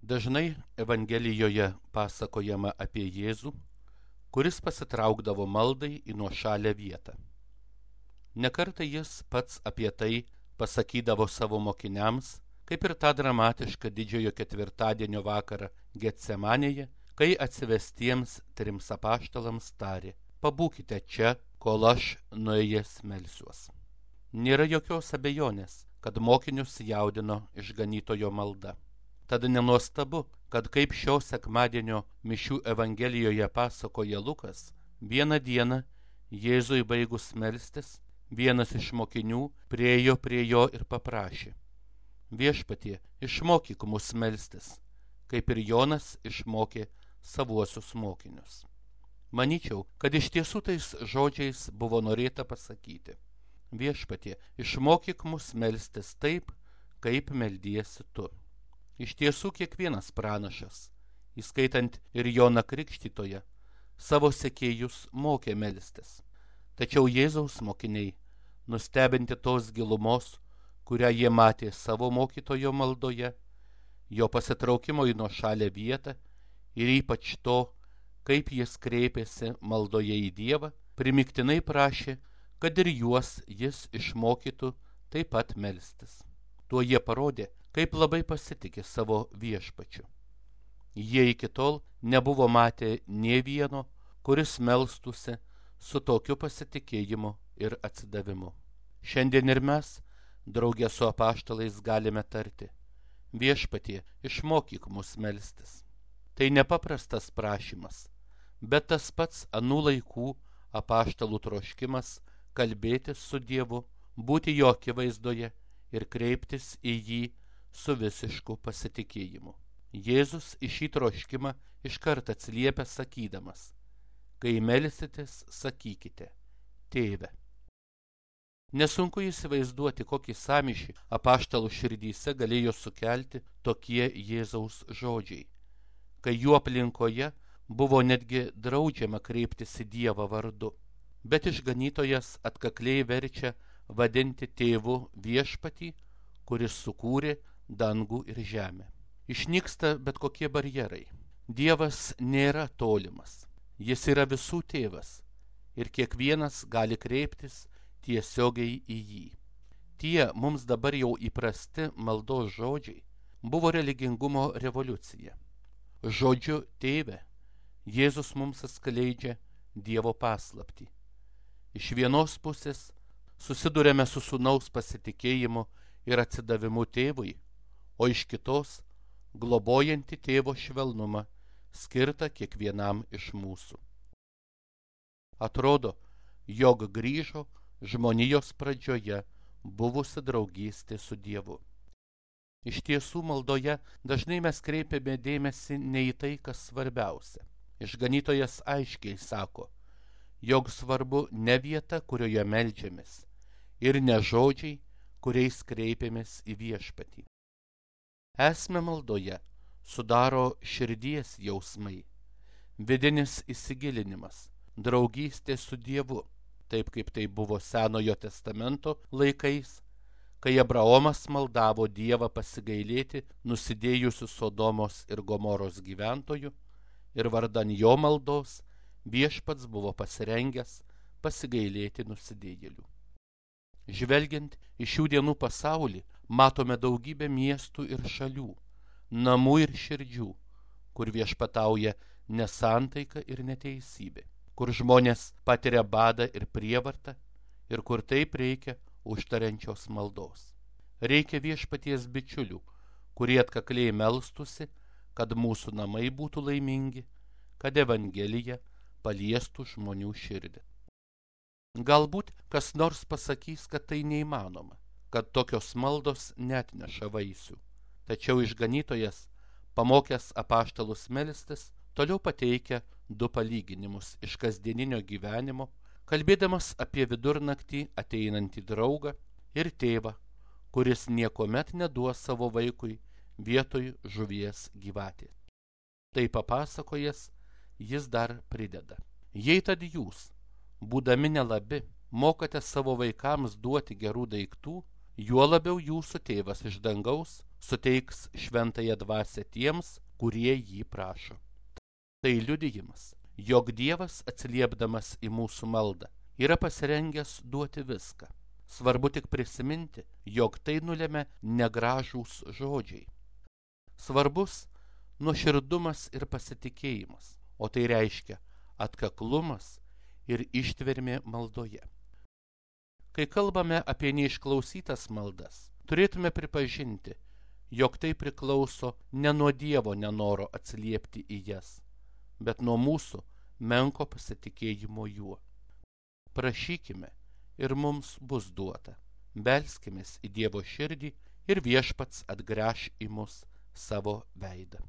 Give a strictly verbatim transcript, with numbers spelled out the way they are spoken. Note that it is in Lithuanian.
Dažnai Evangelijoje pasakojama apie Jėzų, kuris pasitraukdavo maldai į nuošalią vietą. Nekartą jis pats apie tai pasakydavo savo mokiniams, kaip ir tą dramatišką didžiojo ketvirtadienio vakarą Getsemanėje, kai atsivestiems trims apaštalams tarė: pabūkite čia, kol aš nuėjęs melsiuos. Nėra jokios abejonės, kad mokinius jaudino išganytojo malda. Tad nenuostabu, kad kaip šio sekmadienio mišių Evangelijoje pasakoja Lukas, vieną dieną Jėzui baigus melstis, vienas iš mokinių priėjo prie jo ir paprašė: viešpatie, išmokyk mus melstis, kaip ir Jonas išmokė savuosius mokinius. Manyčiau, kad iš tiesų tais žodžiais buvo norėta pasakyti: viešpatie, išmokyk mus melstis taip, kaip meldiesi tu. Iš tiesų kiekvienas pranašas, įskaitant ir Joną Krikštytoją, savo sekėjus mokė melstis. Tačiau Jėzaus mokiniai, nustebinti tos gilumos, kurią jie matė savo mokytojo maldoje, jo pasitraukimo į nuošalią vietą ir ypač to, kaip jis kreipėsi maldoje į Dievą, primygtinai prašė, kad ir juos jis išmokytų taip pat melstis. Tuo jie parodė, kaip labai pasitikė savo viešpačiu. Jie iki tol nebuvo matę nė vieno, kuris melstųsi su tokiu pasitikėjimu ir atsidavimu. Šiandien ir mes, draugė su apaštalais, galime tarti: viešpatie, išmokyk mus melstis. Tai nepaprastas prašymas, bet tas pats anų laikų apaštalų troškimas kalbėtis su Dievu, būti jo akivaizdoje ir kreiptis į jį su visišku pasitikėjimu. Jėzus į šį troškimą iškart atsiliepia sakydamas: kai melsitės, sakykite: Tėve. Nesunku įsivaizduoti, kokį sąmyšį apaštalų širdyse galėjo sukelti tokie Jėzaus žodžiai, kai jų aplinkoje buvo netgi draudžiama kreiptis į Dievą vardu, bet išganytojas atkakliai verčia vadinti tėvu viešpatį, kuris sukūrė dangų ir žemę. Išnyksta bet kokie barjerai. Dievas nėra tolimas, jis yra visų tėvas ir kiekvienas gali kreiptis tiesiogiai į jį. Tie mums dabar jau įprasti maldos žodžiai buvo religingumo revoliucija. Žodžiu tėve Jėzus mums atskleidžia Dievo paslaptį. Iš vienos pusės susidurėme su sūnaus pasitikėjimu ir atsidavimu tėvui, o iš kitos globojanti tėvo švelnumą skirtą kiekvienam iš mūsų. Atrodo, jog grįžo žmonijos pradžioje buvusi draugystė su Dievu. Iš tiesų maldoje dažnai mes kreipiame dėmesį ne į tai, kas svarbiausia. Išganytojas aiškiai sako, jog svarbu ne vieta, kurioje meldžiamės, ir ne žodžiai, kuriais kreipiamės į viešpatį. Esmę maldoje sudaro širdies jausmai, vidinis įsigilinimas, draugystė su Dievu, taip kaip tai buvo Senojo testamento laikais, kai Abraomas maldavo Dievą pasigailėti nusidėjusių Sodomos ir Gomoros gyventojų, ir vardan jo maldos viešpats buvo pasirengęs pasigailėti nusidėjėlių. Žvelgiant į šių dienų pasaulį, matome daugybę miestų ir šalių, namų ir širdžių, kur viešpatauja nesantaika ir neteisybė, kur žmonės patiria badą ir prievartą ir kur taip reikia užtariančios maldos. Reikia viešpaties bičiulių, kurie atkakliai melstusi, kad mūsų namai būtų laimingi, kad Evangelija paliestų žmonių širdį. Galbūt kas nors pasakys, kad tai neįmanoma, kad tokios maldos neatneša vaisių. Tačiau išganytojas, pamokęs apaštalus melstis, toliau pateikia du palyginimus iš kasdieninio gyvenimo, kalbėdamas apie vidurnaktį ateinantį draugą ir tėvą, kuris niekuomet neduos savo vaikui vietoj žuvies gyvatės. Tai papasakojęs, jis dar prideda: jei tad jūs, būdami nelabi, mokate savo vaikams duoti gerų daiktų, juo labiau jūsų tėvas iš dangaus suteiks šventąją dvasią tiems, kurie jį prašo. Tai liudijimas, jog Dievas atsiliepdamas į mūsų maldą yra pasirengęs duoti viską. Svarbu tik prisiminti, jog tai nulemia negražūs žodžiai. Svarbus nuoširdumas ir pasitikėjimas, o tai reiškia atkaklumas ir ištvermė maldoje. Kai kalbame apie neišklausytas maldas, turėtume pripažinti, jog tai priklauso ne nuo Dievo nenoro atsiliepti į jas, bet nuo mūsų menko pasitikėjimo juo. Prašykime ir mums bus duota. Belskimės į Dievo širdį ir Viešpats atgręš į mus savo veidą.